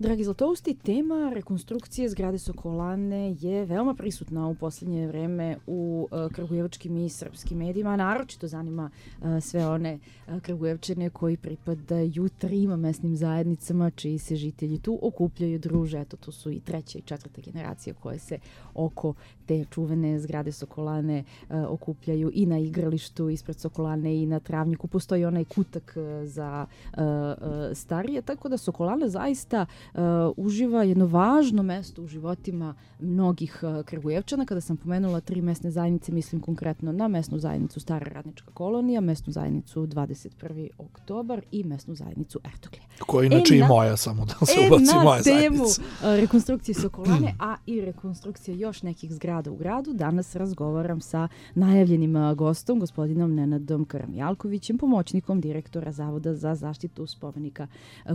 Dragi Zlatousti, tema rekonstrukcije zgrade Sokolane je veoma prisutna u posljednje vreme u kragujevačkim i srpskim medijima. Naročito zanima sve one Kragujevčane koji pripadaju trima mesnim zajednicama, čiji se žitelji tu okupljaju, druže. Eto, tu su i treća i četvrta generacija koje se oko te čuvene zgrade Sokolane okupljaju i na igralištu ispred Sokolane i na travnjiku. Postoji onaj kutak za starije, tako da Sokolana zaista uživa jedno važno mesto u životima mnogih Kragujevčana. Kada sam pomenula tri mesne zajednice, mislim konkretno na mesnu zajednicu Stara radnička kolonija, mesnu zajednicu 21. oktobar i mesnu zajednicu Ertoglje. Koja inače i moja, samo da se ubaci moja zajednica. Na temu rekonstrukcije Sokolane, a i rekonstrukcije još nekih zgrada u gradu, danas razgovaram sa najavljenim gostom, gospodinom Nenadom Karamjalkovićem, pomoćnikom direktora Zavoda za zaštitu spomenika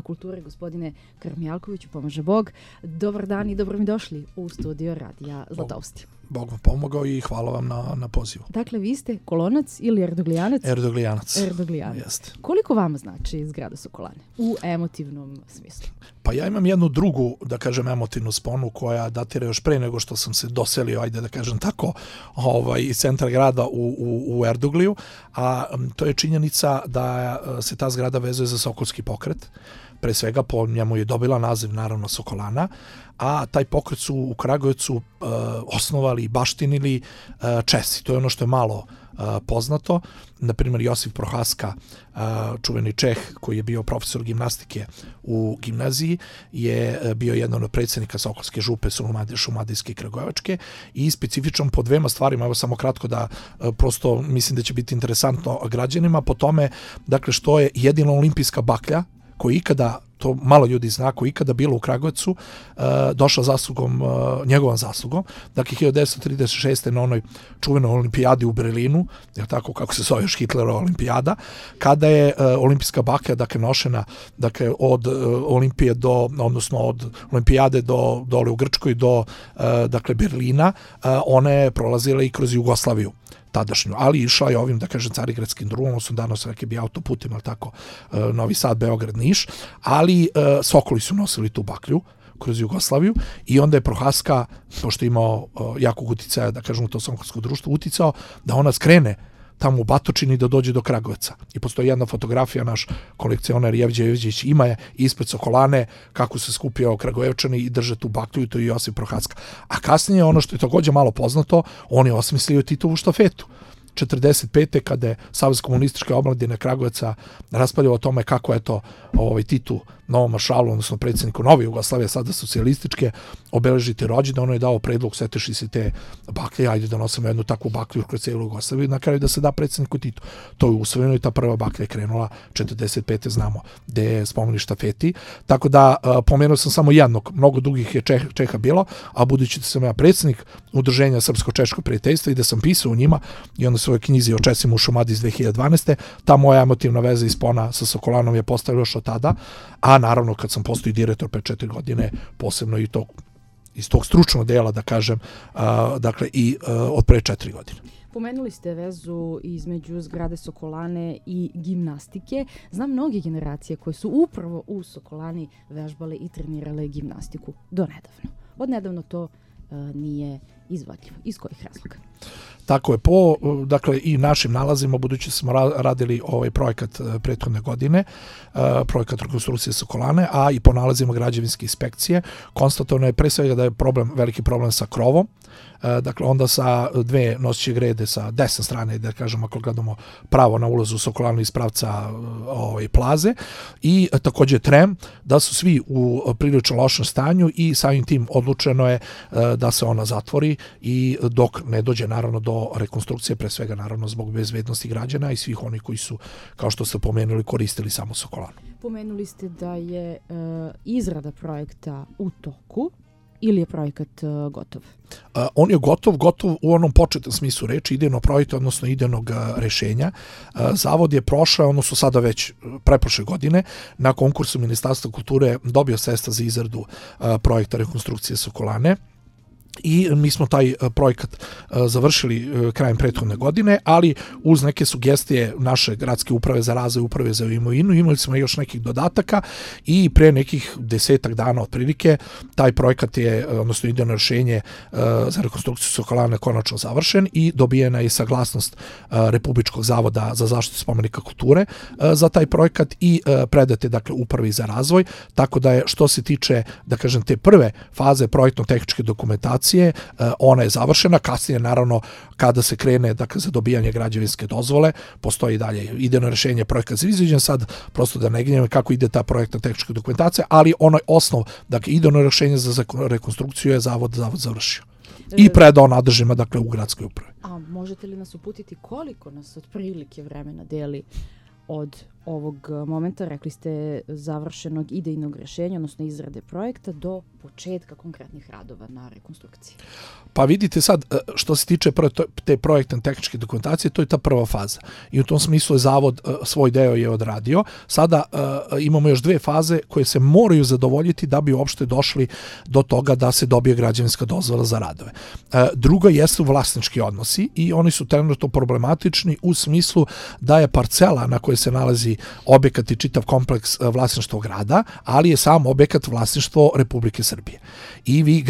kulture. Gospodine Karamjalkoviću, pomaže Bog. Dobar dan i dobro mi došli u studio Radija Zlatousti. Bog vam pomogao i hvala vam na pozivu. Dakle, vi ste Kolonac ili Erdoglijanac? Erdoglijanac. Jeste. Koliko vama znači zgrada Sokolane u emotivnom smislu? Pa ja imam jednu drugu, da kažem, emotivnu sponu koja datira još pre nego što sam se doselio, ajde da kažem tako, iz centra grada u Erdogliju, a to je činjenica da se ta zgrada vezuje za Sokolski pokret. Pre svega po njemu je dobila naziv naravno Sokolana, a taj pokret su u Kragujevcu osnovali i baštinili Česi. To je ono što je malo poznato. Naprimjer, Josif Prohaska, čuveni Čeh koji je bio profesor gimnastike u gimnaziji, je bio jedan od predsjednika Sokolske župe Šumadijske i Kragujevačke i specifičan po dvema stvarima, evo samo kratko da prosto mislim da će biti interesantno građanima, po tome dakle što je jedina olimpijska baklja koji ikada, to malo ljudi zna, koji ikada bilo u Kragujevcu, došla njegovom zaslugom. Dakle, 1936. na onoj čuvenoj olimpijadi u Berlinu, je tako kako se zove još Hitlerova olimpijada, kada je olimpijska baklja, dakle, nošena, dakle, od olimpije odnosno od olimpijade dole u Grčkoj do, dakle, Berlina, one je prolazila i kroz Jugoslaviju tadašnju, ali išla je ovim, da kažem, Carigradskim drugom, odnosno danas reke bi autoputima, ali tako, Novi Sad, Beograd, Niš, ali Sokoli su nosili tu baklju kroz Jugoslaviju i onda je Prohaska, pošto je imao jakog uticaja, da kažem, u to sokolsko društvo, uticao da ona skrene tamo u Batočini da dođe do Kragujevca. I postoji jedna fotografija, naš kolekcionar Jevđe Jevđević ima je ispred Sokolane, kako se skupio Kragujevčani i drže tu baklju, i to je Josip Prohaska. A kasnije, ono što je također malo poznato, on je osmislio Titovu štafetu. 1945. kada je Savez komunističke omladine Kragujevca raspravljao o tome kako je to Titu, novom maršalu, odnosno predsjedniku nove Jugoslavije, sada socijalističke, obeležiti rođendan, ono je dao predlog, seteši se te baklje, ajde da nosimo jednu takvu baklju kroz cijelu Jugoslaviju, na kraju da se da predsjedniku Titu. To je usvojeno i ta prva baklja je krenula 1945. znamo gde je spomenuli štafeti. Tako da pomenuo sam samo jednog, mnogo drugih je Čeha bilo, a budući da sam ja predsjednik Udruženja Srpsko-češko prijateljstva i da sam pisao u njima i onda svojoj knjizi o Česima u Šumadiji iz 2012. ta moja emotivna veza i spona sa Sokolanom je postavila još od tada, a naravno kad sam postao direktor pre 4 godine, posebno i iz tog stručnog dela, da kažem, dakle i od pre 4 godine. Pomenuli ste vezu između zgrade Sokolane i gimnastike. Znam mnoge generacije koje su upravo u Sokolani vežbale i trenirale gimnastiku do nedavno. Odnedavno to nije izvodljivo. Iz kojih razloga? Tako je, dakle, i našim nalazima, budući smo radili ovaj projekat prethodne godine, projekat rekonstrukcije Sokolane, a i po nalazima građevinske inspekcije, konstatovano je pre svega da je veliki problem sa krovom, dakle, onda sa dve noseće grede sa desne strane, da kažem, ako gledamo pravo na ulazu u Sokolanu iz pravca plaze, i također trem, da su svi u prilično lošem stanju i samim tim odlučeno je da se ona zatvori i dok ne dođe naravno do rekonstrukcije, pre svega naravno zbog bezbednosti građana i svih onih koji su, kao što ste pomenuli, koristili samo Sokolanu. Pomenuli ste da je izrada projekta u toku ili je projekat gotov? On je gotov u onom početnom smislu reči, idejnog projekta, odnosno idejnog rešenja. Zavod je prošao, odnosno sada već preprošle godine, na konkursu Ministarstva kulture dobio sredstva za izradu projekta rekonstrukcije Sokolane. I mi smo taj projekat završili krajem prethodne godine, ali uz neke sugestije naše gradske uprave za razvoj, uprave za imovinu, imali smo još nekih dodataka i pre nekih 10 dana otprilike taj projekat je, odnosno idejno rješenje za rekonstrukciju Sokolane konačno završen i dobijena je saglasnost Republičkog zavoda za zaštitu spomenika kulture za taj projekat i predate dakle upravi za razvoj, tako da je što se tiče da kažem te prve faze projektno-tehničke dokumentacije ona je završena, kasnije naravno kada se krene dakle, za dobijanje građevinske dozvole, postoji dalje idejno rješenje projekta za izvođenje, sad prosto da ne gnjavim kako ide ta projektna tehnička dokumentacija, ali onaj osnov, dakle idejno rješenje za rekonstrukciju je zavod završio. I predao nadležnima dakle u gradskoj upravi. A možete li nas uputiti koliko nas otprilike vremena deli od ovog momenta, rekli ste, završenog idejnog rješenja, odnosno izrade projekta, do početka konkretnih radova na rekonstrukciji? Pa vidite sad, što se tiče te projektne tehničke dokumentacije, to je ta prva faza. I u tom smislu je zavod svoj deo je odradio. Sada imamo još dve faze koje se moraju zadovoljiti da bi uopšte došli do toga da se dobije građevinska dozvola za radove. Druga jesu vlasnički odnosi i oni su trenutno problematični u smislu da je parcela na kojoj se nalazi objekat i čitav kompleks vlasništvo grada, ali je sam objekat vlasništvo Republike Srbije. I vi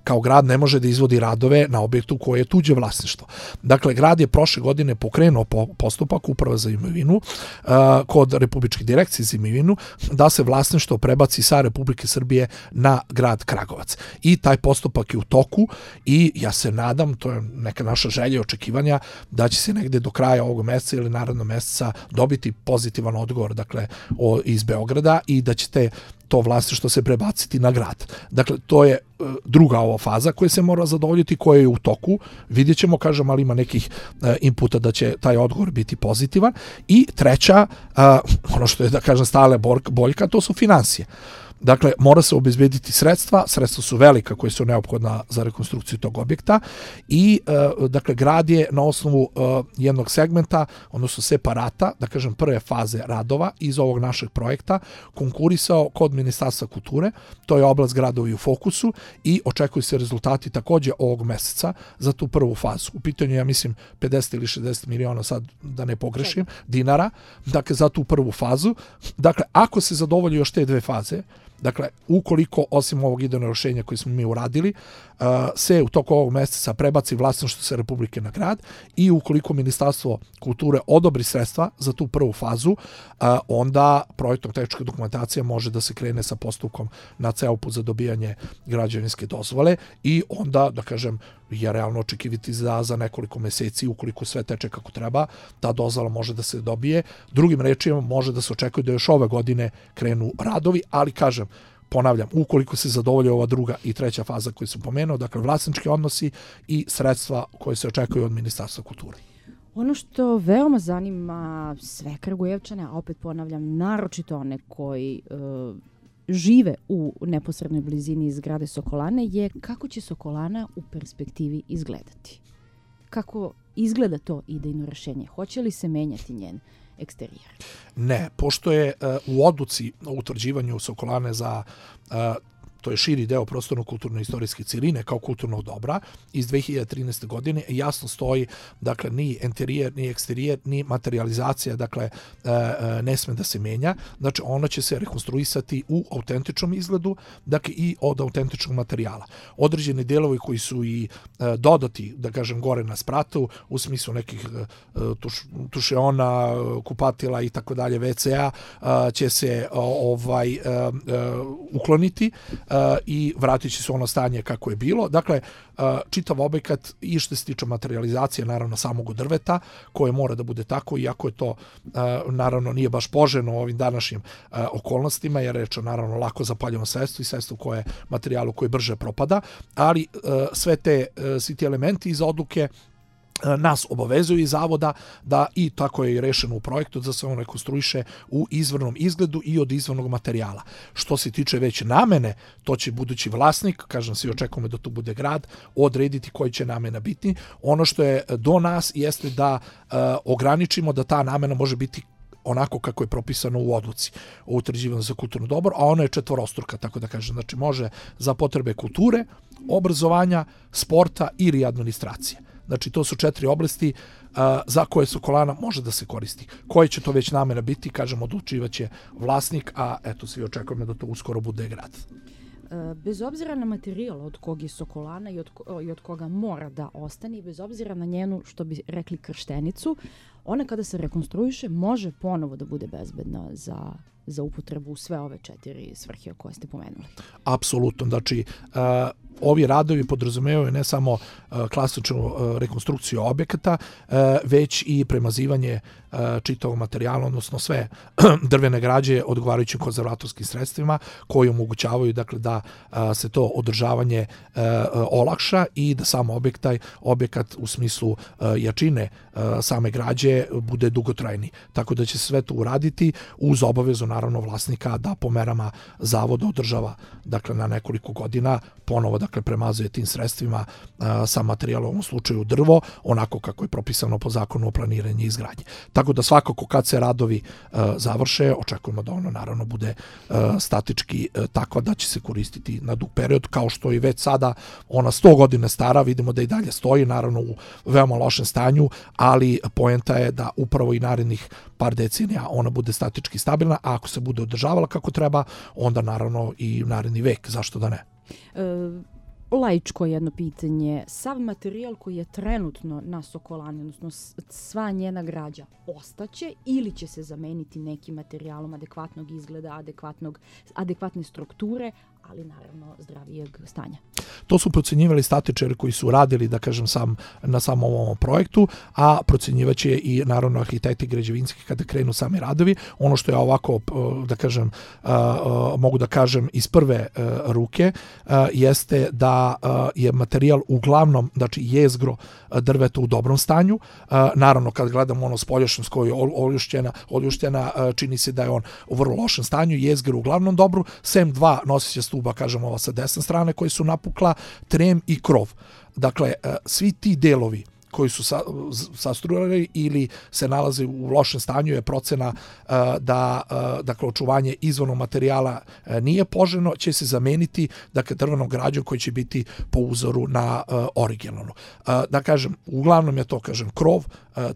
kao grad ne može da izvodi radove na objektu koje je tuđe vlasništvo. Dakle, grad je prošle godine pokrenuo postupak uprava za imovinu kod Republičke direkcije za imovinu da se vlasništvo prebaci sa Republike Srbije na grad Kragovac. I taj postupak je u toku i ja se nadam, to je neka naša želja i očekivanja, da će se negde do kraja ovog mjeseca ili narednog mjeseca dobiti pozitivan odgovor dakle, iz Beograda i da će to vlasništvo se prebaciti na grad. Dakle, to je druga ova faza koja se mora zadovoljiti, koja je u toku. Vidjet ćemo, kažem, ali ima nekih inputa da će taj odgovor biti pozitivan. I treća, ono što je, da kažem, stale boljka, to su financije. Dakle, mora se obezbediti sredstva su velika koje su neophodna za rekonstrukciju tog objekta i, dakle, grad je na osnovu jednog segmenta, odnosno separata, da kažem, prve faze radova iz ovog našeg projekta konkurisao kod Ministarstva kulture, to je oblast gradovi u fokusu i očekuju se rezultati takođe ovog meseca za tu prvu fazu. U pitanju, ja mislim, 50 ili 60 miliona, sad da ne pogrešim, dinara, dakle, za tu prvu fazu. Dakle, ako se zadovolji još te dve faze, dakle, ukoliko, osim ovog idejnog rješenja koje smo mi uradili, se u toku ovog mjeseca prebaci vlasništvo sa Republike na grad i ukoliko Ministarstvo kulture odobri sredstva za tu prvu fazu, onda projektno-tehnička dokumentacija može da se krene sa postupkom na CEOP-u za dobijanje građevinske dozvole i onda, da kažem, je realno očekivati za nekoliko mjeseci, ukoliko sve teče kako treba, ta dozvola može da se dobije. Drugim rečima, može da se očekuje da još ove godine krenu radovi, ali kažem, ponavljam, ukoliko se zadovolje ova druga i treća faza koju sam pomenuo, dakle vlasnički odnosi i sredstva koje se očekuju od Ministarstva kulture. Ono što veoma zanima sve Kragujevčane, a opet ponavljam, naročito one koji žive u neposrednoj blizini zgrade Sokolane, je kako će Sokolana u perspektivi izgledati. Kako izgleda to idejno rješenje? Hoće li se menjati njen eksterijer? Ne, pošto je u odluci o utvrđivanju Sokolane za to je širi deo prostorno-kulturno-istorijske cijeline kao kulturnog dobra iz 2013. godine jasno stoji, dakle, ni interijer, ni eksterijer, ni materializacija, dakle, ne sme da se menja. Znači, ona će se rekonstruisati u autentičnom izgledu, dakle, i od autentičnog materijala. Određeni delovi koji su i dodati, da kažem, gore na spratu, u smislu nekih tušeona, kupatila i tako dalje, WC-a, će se ukloniti i vratit će se ono stanje kako je bilo. Dakle, čitav objekat i što se tiče materializacije, naravno, samog drveta, koje mora da bude tako, iako je to, naravno, nije baš poželjno u ovim današnjim okolnostima, jer reč je, naravno, lako zapaljivo sredstvo i sredstvo koje materijalu koji brže propada, ali svi ti elementi iz odluke nas obavezuju iz zavoda da i tako je i rešeno u projektu da se on rekonstruiše u izvornom izgledu i od izvornog materijala. Što se tiče već namene, to će budući vlasnik, kažem, svi očekujemo da to bude grad, odrediti koji će namena biti. Ono što je do nas jeste da ograničimo da ta namena može biti onako kako je propisano u odluci o utvrđivanju za kulturno dobro, a ona je četvorostruka, tako da kažem. Znači može za potrebe kulture, obrazovanja, sporta ili administracije. Znači to su 4 oblasti za koje Sokolana može da se koristi. Koje će to već namjera biti, kažem, odlučivaće vlasnik, a eto svi očekujemo da to uskoro bude grad. Bez obzira na materijal od kog je Sokolana i od koga mora da ostane, bez obzira na njenu, što bi rekli, krštenicu, ona kada se rekonstruiše može ponovo da bude bezbedna za upotrebu u sve ove 4 svrhe koje ste pomenuli. Apsolutno. Znači, ovi radovi podrazumevaju ne samo klasičnu rekonstrukciju objekata, već i premazivanje čitavog materijala, odnosno sve drvene građe odgovarajućim konzervatorskim sredstvima koji omogućavaju dakle, da se to održavanje olakša i da sam objekat u smislu jačine same građe bude dugotrajni. Tako da će se sve to uraditi uz obavezu naravno vlasnika da po merama zavoda održava dakle, na nekoliko godina, ponovo dakle, premazuje tim sredstvima sam materijal, u ovom slučaju drvo, onako kako je propisano po zakonu o planiranju i izgradnji. Tako da svakako kad se radovi završe, očekujemo da ono naravno bude statički takva da će se koristiti na dug period, kao što i već sada ona 100 godina stara, vidimo da i dalje stoji, naravno u veoma lošem stanju, ali poenta je da upravo i narednih par decenija ona bude statički stabilna, a ako se bude održavala kako treba, onda naravno i naredni vek, zašto da ne? Laičko jedno pitanje. Sav materijal koji je trenutno na Sokolani, odnosno sva njena građa, ostaće ili će se zameniti nekim materijalom adekvatnog izgleda, adekvatne strukture, ali naravno zdravijeg stanja? To su procjenjivali statičari koji su radili, da kažem, na samom ovom projektu, a procjenjivaće i naravno arhitekti građevinski kada krenu sami radovi. Ono što je ovako, da kažem, mogu da kažem iz prve ruke, jeste da je materijal uglavnom, znači jezgro drveta u dobrom stanju. Naravno, kad gledamo ono spoljašnjost koja je oljuštena, čini se da je on u vrlo lošem stanju, jezgro uglavnom dobro, sem 2 nosića stuba, kažem, ova sa desne strane koji su napukla, trem i krov. Dakle, svi ti delovi koji su sastruirali ili se nalaze u lošem stanju je procena da dakle, očuvanje izvornog materijala nije poželjno, će se zameniti dakle, drvenom građom koji će biti po uzoru na originalnu. Da kažem, uglavnom je to kažem, krov,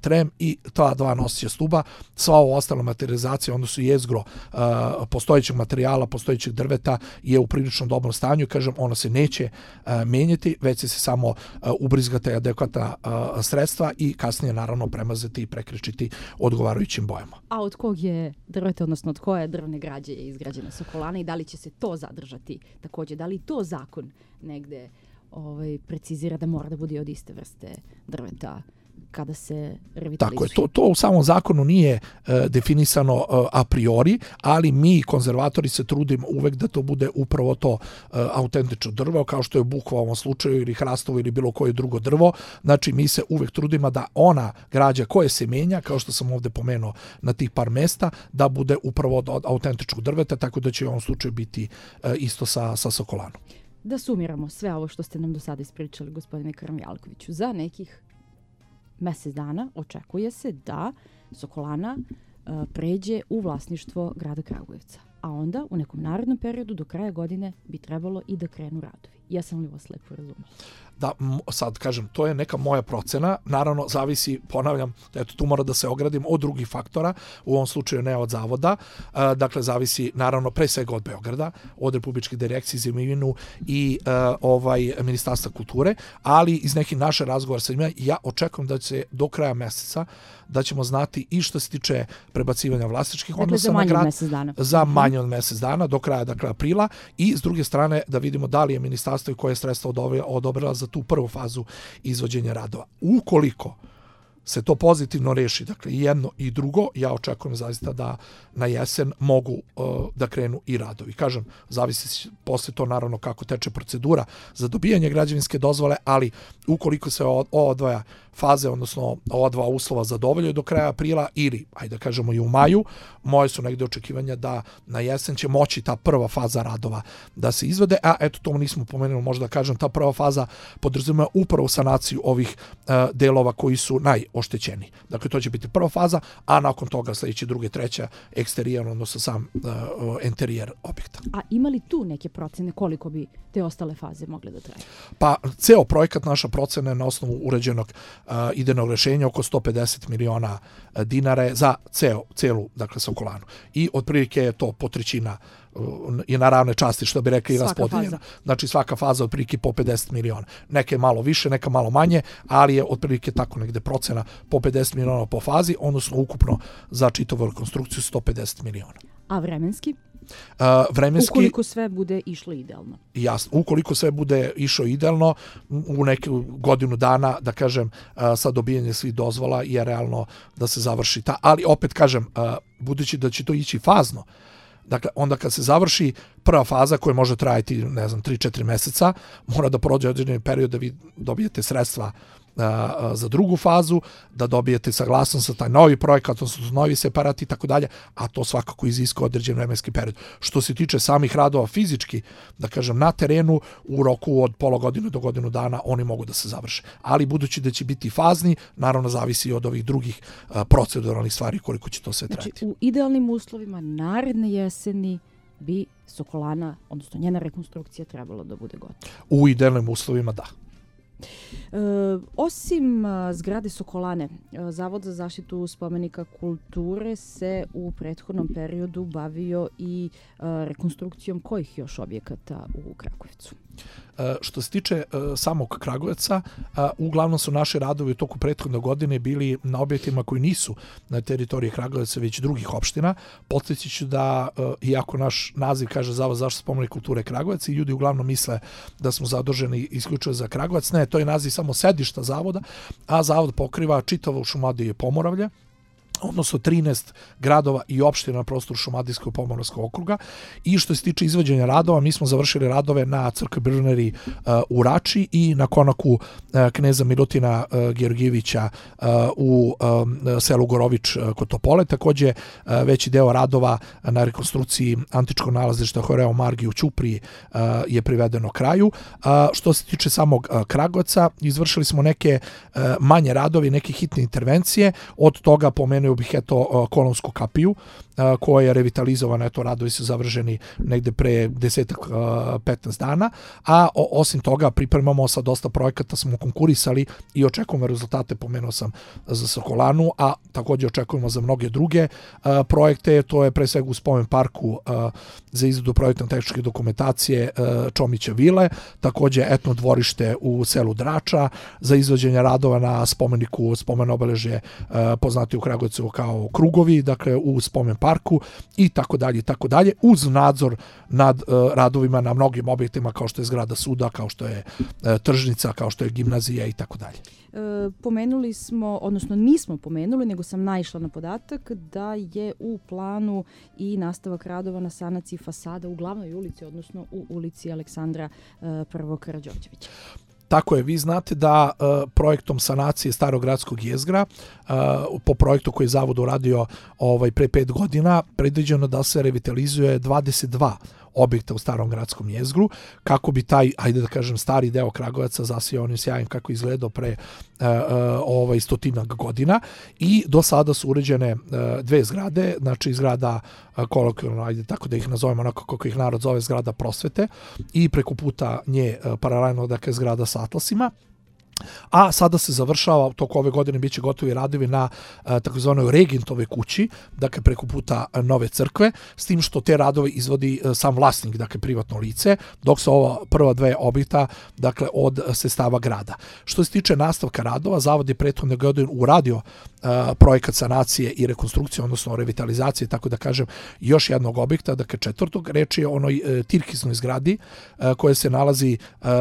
trem i ta 2 nosića stuba. Sva ova ostala materializacija, odnosno jezgro postojećeg materijala, postojećeg drveta je u prilično dobrom stanju. Kažem, ono se neće menjati, već će se samo ubrizgati adekvatna sredstva i kasnije naravno premazati i prekrečiti odgovarajućim bojama. A od kog je drveta, odnosno od koje drvne građe je izgrađena Sokolana i da li će se to zadržati također? Da li to zakon negde precizira da mora da bude od iste vrste drveta kada se revitalizuje? Tako je, to u samom zakonu nije definisano a priori, ali mi konzervatori se trudimo uvek da to bude upravo to autentično drvo, kao što je bukva u ovom slučaju ili hrastovo ili bilo koje drugo drvo. Znači mi se uvek trudimo da ona građa koja se menja, kao što sam ovdje pomenuo na tih par mesta, da bude upravo od autentičnog drveta, tako da će u ovom slučaju biti isto sa Sokolanom. Da sumiramo sve ovo što ste nam do sada ispričali, gospodine Krmjalkoviću, za nekih mjesec dana očekuje se da Sokolana pređe u vlasništvo grada Kragujevca, a onda u nekom narednom periodu do kraja godine bi trebalo i da krenu radovi. Jesam li vas lepo razumela? Da, sad kažem, to je neka moja procena, naravno zavisi, ponavljam, eto tu mora da se ogradim od drugih faktora, u ovom slučaju ne od zavoda, dakle zavisi naravno pre svega od Beograda, od Republičke direkcije za imovinu i Ministarstva kulture, ali iz nekih naše razgovora sa njima ja očekujem da će do kraja meseca da ćemo znati i što se tiče prebacivanja vlasničkih odnosa na grad za manje od mjesec dana, do kraja dakle aprila, i s druge strane da vidimo da li je ministarstvo i koje sredstva odobrila za tu prvu fazu izvođenja radova. Ukoliko se to pozitivno reši, dakle i jedno i drugo, ja očekujem zaista da na jesen mogu da krenu i radovi. Kažem, zavisi posle to naravno kako teče procedura za dobijanje građevinske dozvole, ali ukoliko se ova dva faze, odnosno ova dva uslova zadovoljaju do kraja aprila ili, ajde da kažemo i u maju, moje su negde očekivanja da na jesen će moći ta prva faza radova da se izvede, a eto to nismo pomenuli, možda da kažem, ta prva faza podrazumeva upravo sanaciju ovih delova koji su najoštećeni. Dakle, to će biti prva faza, a nakon toga sljedeće druge, treća eksterijer, odnosno sam interijer objekta. A ima li tu neke procene koliko bi te ostale faze mogle da traju? Pa, ceo projekat, naša procena je na osnovu uređenog idejnog rešenja oko 150 miliona dinara za celu, dakle, Sokolanu. I otprilike je to po trećina i na ravne časti, što bi rekli, i raspodeljeno. Znači, svaka faza otprilike po 50 miliona. Neke malo više, neka malo manje, ali je otprilike tako negde procena po 50 miliona po fazi, odnosno ukupno za čitavu rekonstrukciju 150 miliona. A vremenski? Vremenski, ukoliko sve bude išlo idealno. Jasno, ukoliko sve bude išlo idealno, u neku godinu dana, da kažem, sa dobijanjem svih dozvola je realno da se završi ta. Ali opet kažem, budući da će to ići fazno, dakle, onda kad se završi prva faza koja može trajati, 3-4 meseca, mora da prođe određeni period da vi dobijete sredstva za drugu fazu, da dobijete saglasnost za taj novi projekat, odnosno novi separat i tako dalje, a to svakako iziskuje određen vremenski period. Što se tiče samih radova fizički, da kažem, na terenu, u roku od pola godine do godinu dana oni mogu da se završe. Ali budući da će biti fazni, naravno zavisi od ovih drugih proceduralnih stvari koliko će to sve trajati. Znači, u idealnim uslovima naredne jeseni bi Sokolana, odnosno njena rekonstrukcija, trebala da bude gotova. U idealnim uslovima, da. Osim zgrade Sokolane, Zavod za zaštitu spomenika kulture se u prethodnom periodu bavio i rekonstrukcijom kojih još objekata u Kragujevcu? Što se tiče samog Kragujevca, uglavnom su naši radovi u toku prethodne godine bili na objektima koji nisu na teritoriji Kragujevca, već drugih opština. Podsjetit ću da, iako naš naziv kaže Zavod za zaštitu spomenika kulture Kragujevac, i ljudi uglavnom misle da smo zaduženi isključivo za Kragujevac, ne, to je naziv samo sedišta zavoda, a zavod pokriva čitavo Šumadije i Pomoravlje, odnosno 13 gradova i opština na prostoru Šumadijskog Pomoravskog okruga. I što se tiče izvođenja radova, mi smo završili radove na crkvi Brneri u Rači i na konaku kneza Milutina Georgijevića u selu Gorović kod Topole. Također veći deo radova na rekonstrukciji antičkog nalazišta Horeo Margi u Ćupriji je privedeno kraju. Što se tiče samog Kragujevca, izvršili smo neke manje radovi, neke hitne intervencije. Od toga pomenuo bih Kolonsku kapiju koja je revitalizovana, radovi su završeni negde pre 10-15 dana, a osim toga pripremamo sa dosta projekata, smo konkurisali i očekujemo rezultate, pomenuo sam za Sokolanu, a također očekujemo za mnoge druge projekte, to je pre svega u spomen parku za izradu projektno-tehničke dokumentacije Čomića vile, također etno dvorište u selu Drača, za izvođenje radova na spomeniku, spomen obeležje poznati u Kragujevcu kao Krugovi, dakle u spomen parku i tako dalje, uz nadzor nad radovima na mnogim objektima kao što je zgrada suda, kao što je tržnica, kao što je gimnazija i tako dalje. Pomenuli smo, odnosno nismo pomenuli, nego sam naišla na podatak da je u planu i nastavak radova na sanaciji fasada u glavnoj ulici, odnosno u ulici Aleksandra I. Karađorđevića. Tako je, vi znate da projektom sanacije Starogradskog jezgra, po projektu koji je Zavod uradio pre 5 godina, predviđeno da se revitalizuje 22 objekta u Starom gradskom jezgru, kako bi taj, ajde da kažem, stari deo Kragujevca zasijao onim sjajem kako izgledao pre 100 godina, i do sada su uređene dve zgrade, znači zgrada kolokvijalno, ajde tako da ih nazovemo onako kako ih narod zove, zgrada prosvete, i preko puta nje paralelno, dakle, zgrada sa atlasima. A sada se završava, toko ove godine biće gotovi radovi na takozvanoj Regentove kući, dakle preko puta Nove crkve, s tim što te radove izvodi sam vlasnik, dakle privatno lice, dok su ova prva dve objekta, dakle, od sredstava grada. Što se tiče nastavka radova, Zavod je prethodne godine uradio projekat sanacije i rekonstrukcije, odnosno revitalizacije, tako da kažem, još jednog objekta, dakle četvrtog, reč je o onoj tirkisnoj zgradi koja se nalazi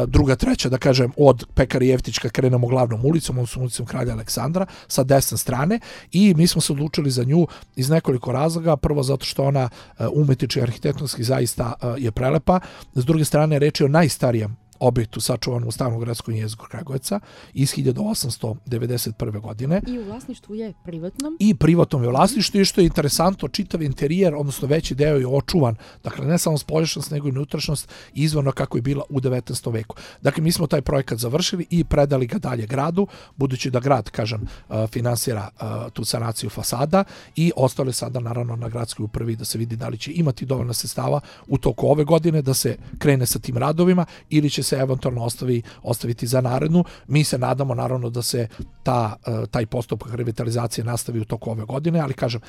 druga, treća, da kažem, od Pekari Jeftić krenemo glavnom ulicom, odnosno ulicom Kralja Aleksandra, sa desne strane, i mi smo se odlučili za nju iz nekoliko razloga. Prvo, zato što ona umetnički i arhitektonski zaista je prelepa. S druge strane, reč je o najstarijem objektu sačuvanom u Starom gradskom jezgru Kragujevca iz 1891. godine. I u vlasništvu je privatnom? I privatnom je vlasništvu i što je interesantno, čitav interijer, odnosno veći deo je očuvan, dakle ne samo spoljašnjost nego i unutrašnjost izvorno kako je bila u 19. veku. Dakle, mi smo taj projekat završili i predali ga dalje gradu, budući da grad, kažem, finansira tu sanaciju fasada i ostale sada naravno na gradskoj upravi da se vidi da li će imati dovoljno sredstava u toku ove godine da se krene sa tim radovima ili će se eventualno ostaviti za narednu. Mi se nadamo naravno da se taj postupak revitalizacije nastavi u toku ove godine, ali kažem,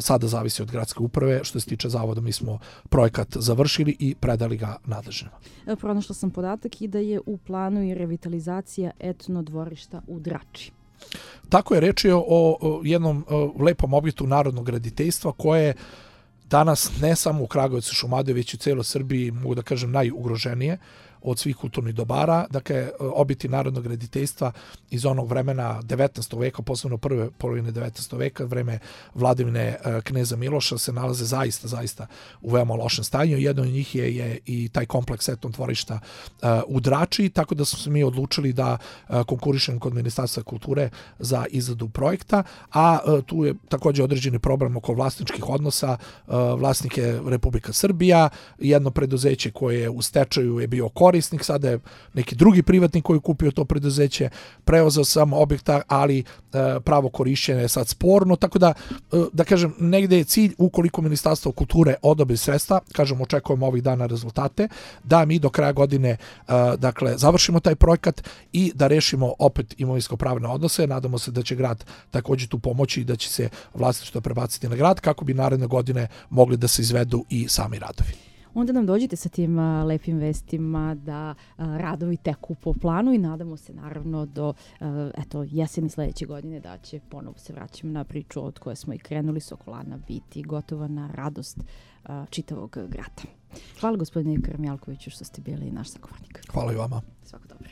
sada zavisi od gradske uprave. Što se tiče zavoda, mi smo projekat završili i predali ga nadležnima. Pronašla sam podatak i da je u planu i revitalizacija etno dvorišta u Drači. Tako je, reč je o jednom lepom objektu narodnog graditeljstva koje danas ne samo u Kragujevcu, Šumadiji, već i u cijeloj Srbiji, mogu da kažem, najugroženije od svih kulturnih dobara. Dakle, objekti narodnog graditeljstva iz onog vremena 19. veka, posebno prve polovine 19. veka, vreme vladavine kneza Miloša, se nalaze zaista u veoma lošem stanju. Jedan od njih je i taj kompleks etno dvorišta u Drači, tako da smo se mi odlučili da konkurišemo kod Ministarstva kulture za izradu projekta, a tu je također određeni problem oko vlasničkih odnosa. Vlasnik je Republika Srbija, jedno preduzeće koje je u stečaju je bio korisnik, sada je neki drugi privatnik koji je kupio to preduzeće, preuzeo sam objekta, ali pravo korišćenje je sad sporno, tako da kažem, negde je cilj, ukoliko Ministarstvo kulture odobri sredstva, kažem, očekujemo ovih dana rezultate, da mi do kraja godine dakle, završimo taj projekat i da rešimo opet imovinsko-pravne odnose. Nadamo se da će grad također tu pomoći i da će se vlasništvo prebaciti na grad kako bi naredne godine mogli da se izvedu i sami radovi. Onda nam dođite sa tim lepim vestima da radovi teku po planu i nadamo se naravno do jeseni sljedeće godine da će, ponovo se vraćamo na priču od koje smo i krenuli, Sokolana biti gotova na radost čitavog grada. Hvala gospodine Krmjalkoviću što ste bili naš sagovornik. Hvala i vama. Svako dobro.